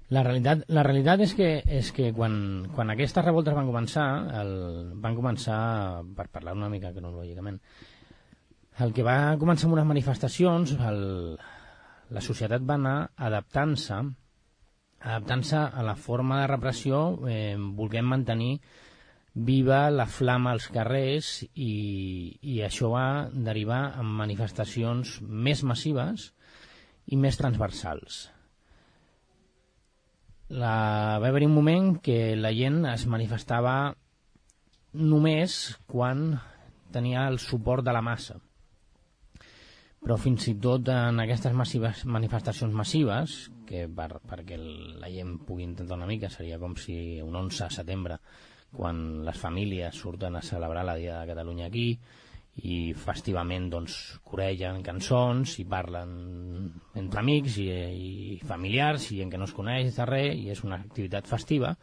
La realitat és que quan aquestes revoltes van començar, per parlar una mica cronològicament, el que va començar amb unes manifestacions, la societat va anar adaptant-se a la forma de repressió, volent mantenir viva la flama als carrers, i això va derivar en manifestacions més massives i més transversals. Va haver-hi un moment que la gent es manifestava només quan tenia el suport de la massa, però fins i tot en aquestes manifestacions massives, que perquè la gent pugui intentar una mica, seria com si un 11 de setembre, quan les famílies surten a celebrar la Dia de Catalunya aquí, i festivament doncs coregen cançons i parlen entre amics i familiars i gent que no es coneix de res, i és una activitat festiva.